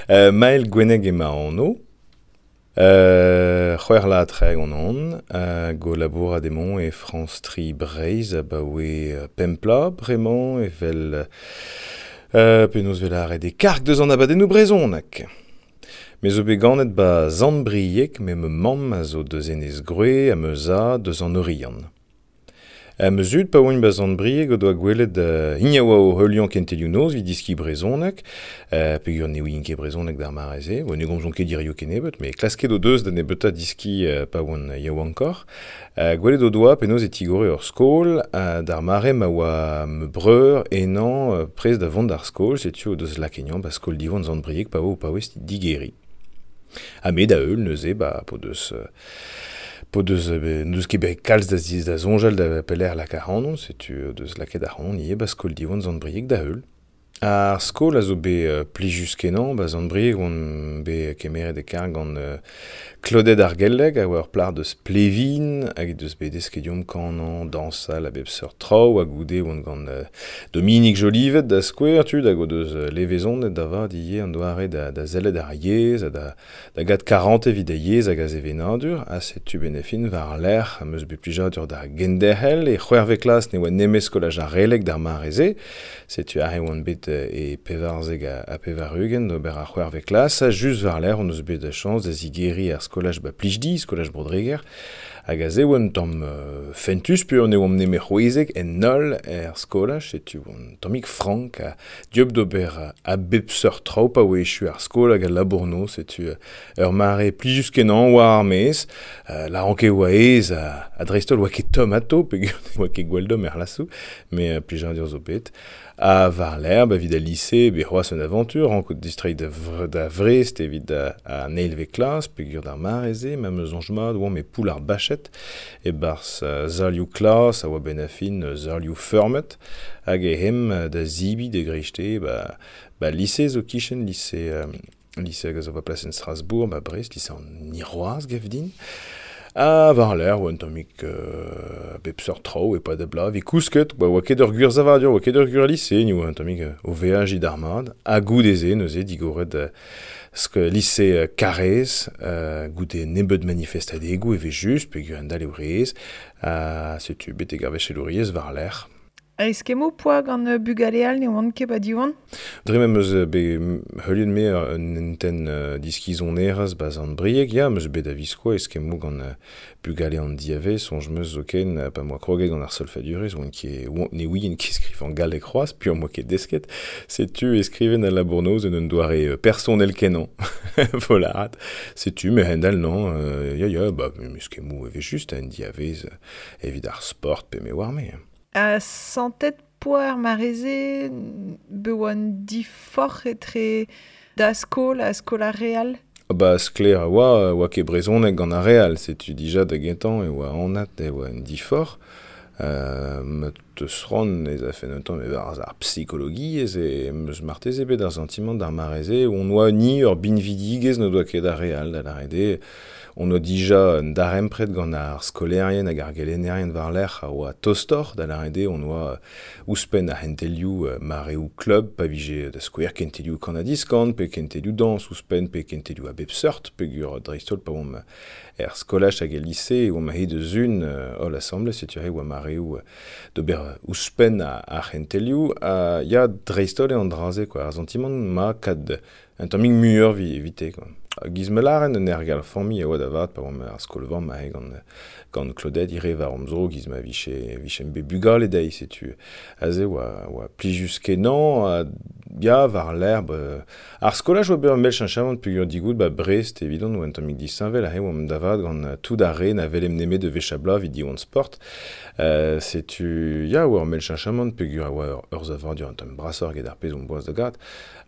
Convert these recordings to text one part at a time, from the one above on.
Mael Gwenneg eo ma anv. C'hwec'h vloaz ha 30 on hag o labourat emaon e Frañs Tri Breizh abaoe pemp bloaz bremañ evel penaos 'vez lâret e karg deus an abadennoù brezhonek. Me zo bet ganet 'ba Sant-Brieg met ma mamm a zo deus Enez-Groe ha ma zad deus an Oriant. Ma zud pa oant 'ba Sant-Brieg o doa gwelet hini a oa o heuliañ kentelioù noz evit deskiñ brezhoneg peogwir ne ouient ket brezhoneg d'ar mare-se. Ne gomzont ket hiziv kennebeut met klasket o deus da nebeutañ deskiñ pa oant yaouankoc'h. Gwelet o doa penaos e tigore ur skol d'ar mare ma oa ma breur henañ prest da vont d'ar skol setu o deus lakaet 'ba skol Diwan Sant-Brieg pa oa o paouez digeriñ. Ha me da heul neuze ba p'o deus P'o deus n'eus ket bet kalz da da soñjal da pelec'h lakaat ac'hanon, setu o deus lakaet ac'hanon ivez 'ba skol Diwan Sant-Brieg da heul. Ar skol a zo bet plijus-kenañ, 'ba Sant-Brieg on bet kemeret e karg gant Claudette ar Gelleg a oa ur plac'h deus Plevin hag he deus bet desket deomp kanañ, dañsal a bep seurt traoù ha goude oan gant Dominique Jolivet da skouer tud hag o deus levezonet da vat ivez an doare da sellet ar yezh ha da Da gad karantez evit da yezh hag a sevenadur, ha setu benefin war-lerc'h am eus bet plijadur da genderc'hel. E c'hwec'hvet klas ne oa nemet skolaj ar Releg d'ar mare-se. Setu aze oan bet e 94 ha 80 d'ober ar c'hwec'hvet klas. Ha just war-lerc'h hon eus bet a chañs da zigeriñ ar skolaj ba Plijdi, skolaj Bro-Dreger. Hag aze oa un tamm fentus peogwir ne oamp nemet c'hwezek en holl er skolaj, setu un tammig frank ha dieub d'ober a bep seurt traoù pa oa echu ar skol hag al labour-noz, setu ur mare plijus-kenañ war ar maez. Lâran ket oa aes ha dreist-holl oa ket tomm atao peogwir ne oa ket gwall domm er c'hlasoù, met plijadur zo bet. Ha war-lerc'h, evit al lise, bet c'hoazh un avantur, rankout distreiñ da Vrest evit an eilvet klas, peogwir d'ar mare-se, ma 'm eus soñj mat, oamp e Poull ar Bached, e-barzh salioù klas a oa benn ar fin salioù feurmet, hag eh aemp da zebriñ da greisteiz ba lise zo 'kichen lise lise hag a zo war plasenn Strasbourg, ba Brest, lise an Hirwazh, gav din. Ha war-lerc'h oa un tammig a bep seurt traoù e-pad ar bloaz. Evit kousket, ba oa ket ur gwir savadur, oa ket ur gwir lise, ni oa un tammig o veajiñ d'ar mat. Ha goude-se neuze digoret lise Karaez, goude nebeut manifestadegoù evel-just, peogwir endal eo re-aes. Ha setu betek ar vachelouriezh war-lerc'h. Eskemmoù 'poa gant bugale all ne oant ket 'ba Diwan? Dre ma 'm eus bet heuliet me un hentenn diskizonerezh 'ba Sant-Brieg, ya, 'm eus bet a-viskoazh eskemmoù gant bugale an diavaez, soñj 'm eus zoken pa 'm boa kroget gant ar solfadurezh oan ket ne ouien ket skrivañ galleg c'hoazh piv 'm boa ket desket. Setu e skriven al labour-noz en un doare personel-kenañ, 'vo lâret. Setu me-hend-all non, ya ya, ba eskemmoù evel-just en diavaez evit ar sport pe me 'oar-me. Ha santet 'poa ar mare-se be oa un diforc'h etre da skol ha skol ar re all? Ba sklaer a oa, oa ket brezhoneg gant ar re all, setu dija da gentañ e oa anat e oa un diforc'h. Ma teus c'hoant ez afen un tamm e-barzh ar psikologiezh em eus marteze bet ar santimant d'ar mare-se hon oa ni ur binvidigezh n'o doa ket ar re all, da lâret eo On oa dija un darempred gant ar skolaerien hag ar gelennerien war-lerc'h a oa tostoc'h, da lâret eo on oa ouzhpenn ar c'hentelioù mareoù klub pa vije da skouer kentelioù kan-ha-diskan pe kentelioù dañs ouzhpenn pe kentelioù a bep seurt peogwir dreist-holl pa oamp er skolaj hag el lise e oamp aet eus un holl asambles setu aze e oa mareoù d'ober ouzhpenn ar c'hentelioù ha ya dreist-holl eo an dra-se quoi ar santimant 'ma kad un tammig muioc'h evite quoi. Giz ma lâren un ergal familh a oa da vat pa oamp er skol-vamm aze gant Claudette ivez war hom zro giz ma vije vijemp bet bugale dezhi setu aze oa oa plijus-kenañ ha ya war-lerc'h ba ar skolaj oa bet ur mell cheñchamant peogwir digout ba Brest evidon oa un tammig disheñvel aze oamp da vat gant tout ar re na welemp nemet ur wech a bloaz evit Diwan Sport. Setu ya oa ur mell cheñchamant peogwir a oa ur savadur un tamm brasoc'h eget ar pezh omp boas da gat.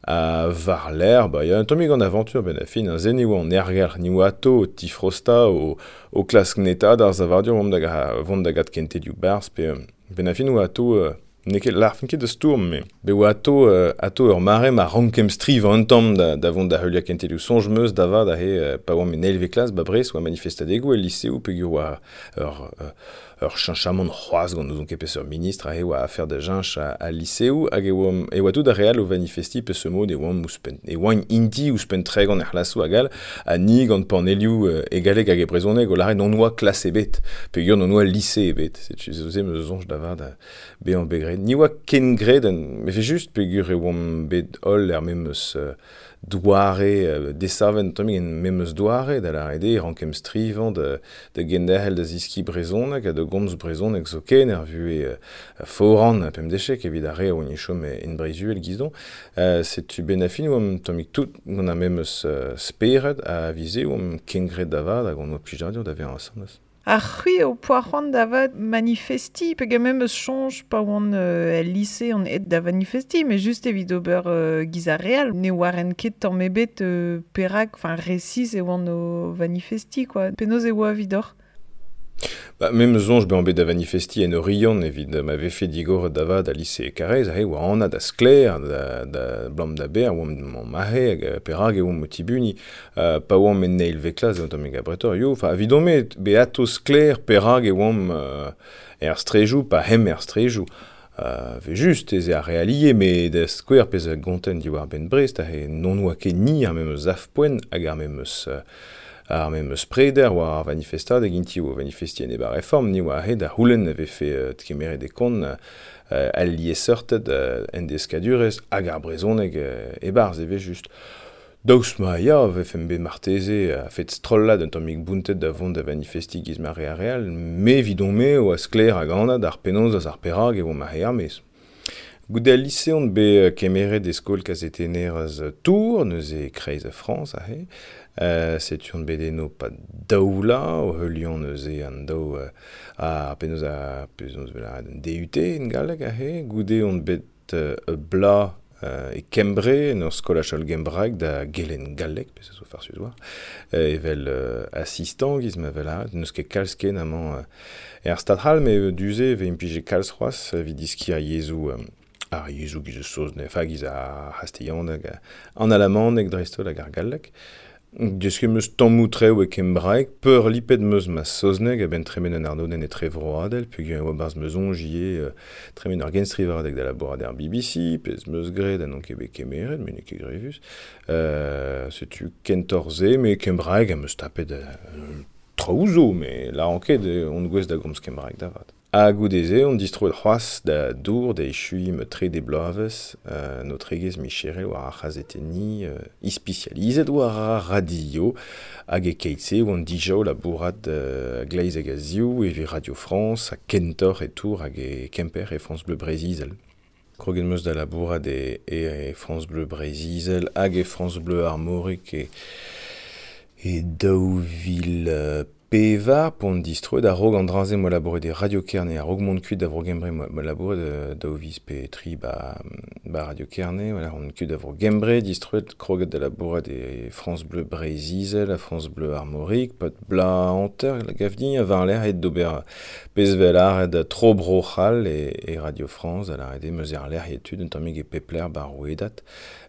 Ha war-lerc'h, ba ya un tammig an avantur benn ar fin, aze ne oa an aergelc'h, ni oa atao o tifrostañ, o klask netaat ar savadur vont da vont da gat kentelioù barzh pe benn ar fin oa atao n'eo ket lârfen ket da stourm met bet oa atao atao ur mare ma rankemp strivañ un tamm da vont da heuliañ kentelioù. Soñj 'm eus da vat aze pa oamp en eilvet klas ba Brest oa manifestadegoù el liseoù peogwir oa ur ur cheñchamant c'hoazh gant n'ouzon ket peseurt ministr aze oa afer da cheñch al liseoù hag e oamp e oa tout ar re all o vanifestiñ peseurt mod e oamp ouzhpenn e oaint int-i ouzhpenn 30 er c'hlasoù hag all ha ni gant panelioù e galleg hag e brezhoneg o lâret n'hon oa klas ebet peogwir n'hon oa lise ebet setu se 'm eus soñj da vat bezañ bet graet. Ni oa ken graet evel-just peogwir e oamp bet holl er memes doare desavet un tammig en memes doare, da lâret eo e rankemp strivañ da genderc'hel da zeskiñ brezhoneg ha da gomz brezhoneg zoken er vuhez foran ha pemdechek evit ar re a oa chom en Breizh-Uhel gizdon. Setu benn ar fin oamp un tammig tout gant ar memes spered ha vize oamp kengred da vat hag hon oa plijadur da vezañ asambles. Ha c'hwi ho poa c'hoant da vat manifestiñ peogwir 'meus soñj pa oan el lise on aet da vanifestiñ met just evit ober giz ar re all. Ne oaren ket tamm ebet perak, enfin resis e oan o vanifestiñ quoi. Penaos e oa evidoc'h? Ba, me 'meus soñj bezañ bet da vanifestiñ en Oriant evit ma vefe digoret da vat al lise Karaez aze e oa anat ha sklaer da blam da ber oamp aze hag perak e oamp o tibuniñ. Pa oamp en eilvet klas eo un tammig abretoc'h, yo, enfin evidon-me bet atao sklaer perak e oamp er straejoù pa hemp er straejoù. Evel-just ez eo ar re allié, met da skouer pezh a gonten diwar-benn Brest aze n'hon oa ket ni ar memes sav-poent hag ar memes preder war ar vanifestadeg int-i o vanifestiñ enep ar reform, ni oa aze da c'houlenn e vefe kemeret e kont al liesseurted en deskadurezh hag ar brezhoneg e-barzh evel-just. Daoust ma ya vefemp bet marteze a-fet strollad un tammig bountet da vont da vanifestiñ giz ma re ar re all, me evidon-me oa sklaer hag anat ar penaos eus ar perak e oamp aze er-maez. Goude al lise on bet kemeret e skol kazetennerezh Tours, neuze e-kreiz Frañs aze. Setu on bet eno 'pad daou vloaz, o heuliañ neuze an daou ar penaos ar penaos 'vel lâret an DUT en galleg aze. Goude on bet ur bloaz e Kembre, en ur skolaj hollgembraek da gelenn galleg, pezh a zo farsus 'oa, evel asistant giz ma vel lâret. N'eus ket kalz ken amañ er Stad c'hall, met du-se e vez implijet kalz c'hoazh evit deskiñ ar yezhoù ar yezhoù giz saozneg, enfin giz ar c'hastilhaneg, an alamaneg dreist-holl hag ar galleg. Desket 'm eus tammoù traoù e kembraeg, peurlipet 'm eus ma saozneg a-benn tremen un arnodenn etrevroadel peogwir e oa 'barzh ma soñj ivez tremen ur genstrivadeg da labourat er BBC, pezh 'm eus graet ha n'on ket bet kemeret, met n'eo ket grevus. Setu kentoc'h se, met kembraeg am eus tapet traoù zo, met lâran ket on gouest da gomz kembraeg da vat. Ha goude-se on distroet c'hoazh da Dour da echuiñ ma trede bloavezh en aotregezh micherel war ar c'hazetenniñ ispisializet war ar radio hag e-keit-se oan dija o labourat a-gleiz hag a-ziv evit Radio France ha kentoc'h e Tours hag e Kemper e France Bleu Breizh-Izel. Kroget 'm eus da labourat e France Bleu Breizh-Izel hag e France Bleu Armorique e 2004 p'on distroet a-raok an dra-se 'moa labouret e Radio Kerne a-raok mont kuit da Vro-Gembre 'moa labouret daou viz pe tri 'ba Radio Kerne voilà on kuit da Vro-Gembre distroet kroget da labourat e France Bleu Breizh-Izel ha France Bleu Armorique 'pad bloaz hanter gav din ha war-lerc'h aet d'ober pezh 'vel lâret tro Bro-C'hall e Radio France da lâret eo 'meus erlec'hiet tud un tammig e pep lec'h 'ba ar rouedad.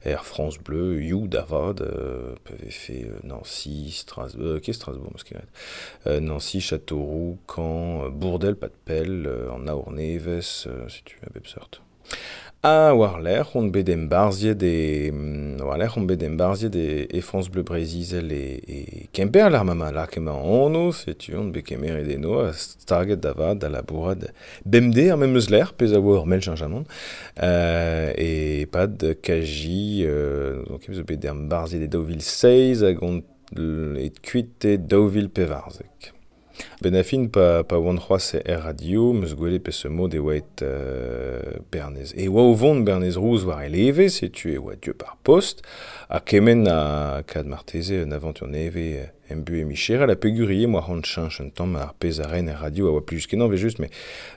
Air France Bleu, You da vat, pa vefe Nancy, Strasbourg, ket Strasbourg 'meus ket graet, Nancy, Châteauroux, Caen, Bourdel, pas de pell, an Aour-Nevez, setu a bep seurt. Ha war-lerc'h on bet embarzhiet e war-lerc'h on bet embarzhiet e France Bleu Breizh-Izel e Kemper lec'h ma 'ma lakaet ma anv, setu on bet kemeret eno ha staget da vat da labourat bemdez ar memes lec'h, pezh a oa ur mell cheñchamant. E-pad KJ donc zo bet embarzhiet e 2007 hag on aet kuit e 2014. Benn ar fin pa oan c'hoazh er radio 'm eus gwelet peseurt mod e oa aet Bernez. E oa o vont Bernez Rouz war e leve, setu e oa dieub ar post, ha kement ha kad marteze un avantur nevez em buhez micherel ha peogwir ivez 'moa c'hoant cheñch un tamm ar pezh a ren er radio a oa plijus-kenañ evel-just met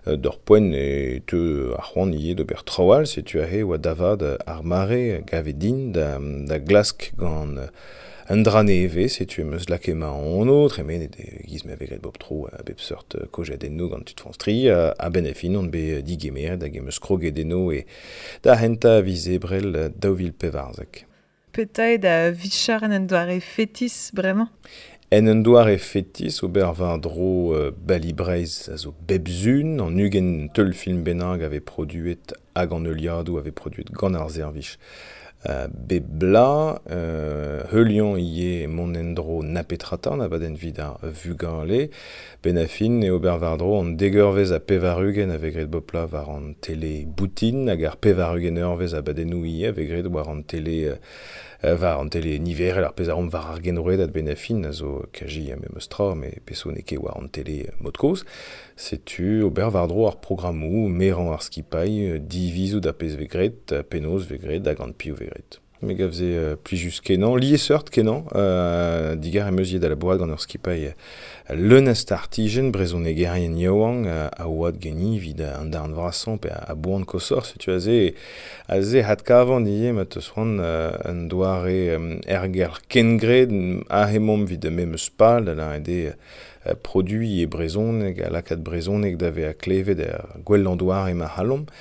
d'ur poent e teu ar c'hoant ivez d'ober traoù all setu aze e oa da vat ar mare a gave din da glask gant un dra nevez setu em eus lakaet ma anv tremenet e-giz ma vez graet bep tro a bep seurt kojadennoù gant tud France Tri a-benn ar fin on bet digemeret hag em eus kroget eno e da c'hentañ a viz Ebrel 2014. Petra eo da vicher en un doare fetis bremañ? En un doare fetis ober war-dro Bali Breizh a zo bep sun, an 20 teulfilm bennak a vez produet hag an heuliadoù a vez produet gant ar servij bep bloaz, heuliañ ivez mont en-dro na petra 'ta, an abadenn evit ar vugale. Benn ar fin eo ober war-dro an dek eurvezh ha 80 a vez graet bep bloaz war an tele boutin hag ar 80 eurvezh abadennoù ivez a vez graet war an tele war an tele niverel, ar pezh a reomp war ar genrouedad benn ar fin a zo kazi ar memes tra, met pezh zo n'eo ket war an tele mod-kozh. Setu ober war-dro ar programmoù, merañ ar skipailh, divizout ar pezh vez graet, penaos vez graet hag gant piv vez graet. Me gav se plijus-kenañ, liesseurt-kenañ, digar em eus ivez da labourat gant ur skipailh leun a startijenn, brezhonegerien yaouank a oad ganin evit an darn vrasañ pe a boan koshoc'h, setu aze aze adkavan ivez ma teus c'hoant un doare aergelc'h kengred aze emaomp evit memes pal, da lâret eo produiñ e brezhoneg ha lakaat brezhoneg da vezañ klevet er gwellañ doare ma c'hallomp.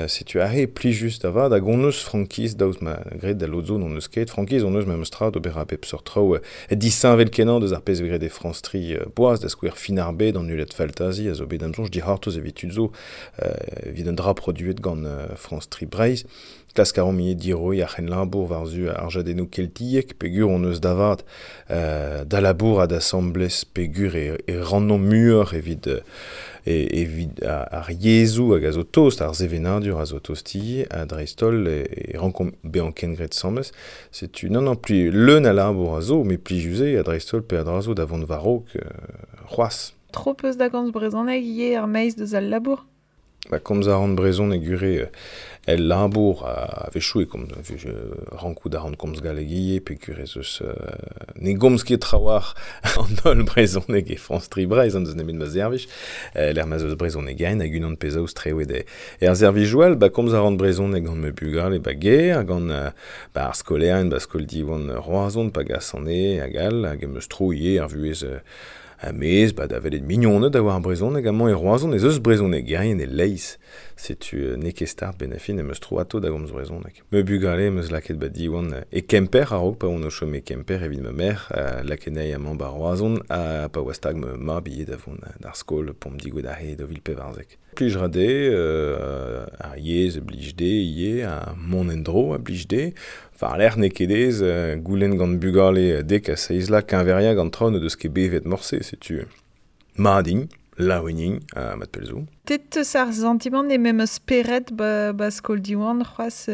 Setu aze plijus da vat hag hon eus frankiz daoust ma graet da lod zo n'hon eus ket frankiz hon eus memes tra d'ober a bep seurt traoù disheñvel-kenañ deus ar pezh vez graet e France 3 boaz da skouer fin ar bed an Uled Faltazi a zo bet da'm soñj dic'hortoz evit tud zo evit un dra produet gant France 3 Breizh. Klask a reomp ivez diroiñ ar c'henlabour war-zu ar jadennoù keltiek peogwir hon eus da vat da labourat asambles peogwir e rannomp muioc'h evit evit ar yezhoù hag a zo tost, ar sevenadur a zo tost ivez, ha dreist-holl e rankomp bezañ kengred asambles. Setu non, non, pli leun a labour a zo, met plijus eo, ha dreist-holl peadra zo da vont war-raok c'hoazh. Tro peus da gomz brezhoneg ivez er-maez deus al labour? Ba, komz a ran brezhoneg ure el labour a-wechoù e komz rankout a ran komz galleg ivez peogwir ez eus ne gomz ket trawalc'h an holl brezhoneg e France 3 Breizh an deus nemet ma servij lec'h ma'z eus brezhonegerien hag unan pezh aoz strewet er servijoù all ba komz a ran brezhoneg gant ma bugale ba gêr gant ba ar skolaerien ba skol Diwan Roazhon pa gasan eo hag all hag em eus tro ivez ar vuhez A-maez, ba da welet mignoned a oar brezhoneg amañ e Roazhon ez eus brezhonegerien e-leizh. Setu n'eo ket start benn ar fin em eus tro atao da gomz brezhoneg. Ma bugale em eus lakaet ba Diwan e Kemper a-raok pa oan o chom e Kemper evit ma merc'h, lakaet anezhi amañ ba Roazhon ha pa oa stag ma mab ivez da vont d'ar skol p'omp digouezhet aze e 2014. Plij 'ra dezhe, ar yezh a blij dezhe ivez, ha mont en-dro a blij dezhe. War-lerc'h n'eo ket aes goulenn gant bugale dek ha seizh vloaz keñveriañ gant traoù n'o deus ket bevet morse, setu mat int, laouen int, ha mat pell zo. Te 'teus ar santimant eo memes spered ba, ba skol Diwan c'hoazh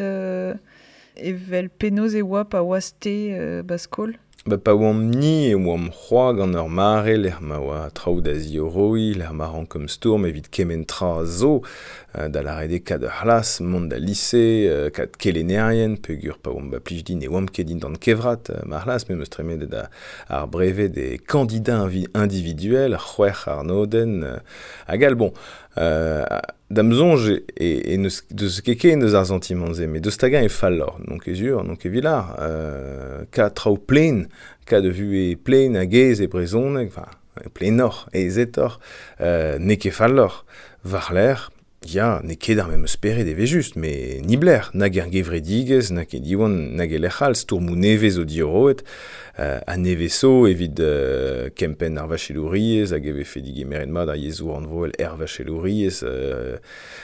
evel penaos e oa pa oas-te ba skol? Ba pa oamp-ni e oamp c'hoazh gant ur mare lec'h ma oa traoù da ziorroiñ, lec'h ma rankomp stourm evit kement tra zo, da lâret eo kad ur c'hlas, mont da lise, kad kelennerien, peogwir pa oamp ba plij din ne oamp ket dindan kevrat ma c'hlas, me 'm eus tremenet ar breved e candidat individuel, c'hwec'h arnodenn, hag all bon. Da'm soñj e n'eus deus ket ken deus ar santimant-se, met deus hag-eñ eo falloc'h, n'on ket sur, n'on ket evit lâr. Kad traoù plen, kad vuhez plen hag aes e brezhoneg, enfin, plenoc'h, aezetoc'h, n'eo ket falloc'h. War-lerc'h, ya, n'eo ket ar memes spered evel-just, met niblec'h, nag er gevredigezh, nag e Diwan, nag e lec'h all, stourmoù nevez zo diorroet, ha nevez zo evit kempenn ar vachelouriezh hag e vefe digemeret mat ar yezhoù rannvroel er vachelouriezh.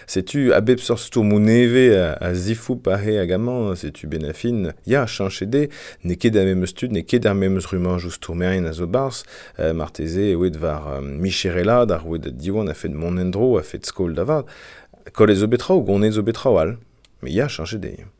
Setu a bep seurt stourmoù nevez a zifoup aze hag amañ, setu benn ar fin, ya, cheñchet eo, n'eo ket ar memes tud, n'eo ket ar memes rummajoù stourmerien a zo 'barzh, marteze eo aet war micherelaat ar rouedad Diwan a-fet mont en-dro, a-fet skol da vat. Kollet zo bet traoù, gonezet zo bet traoù all. Met ya, cheñchet eo.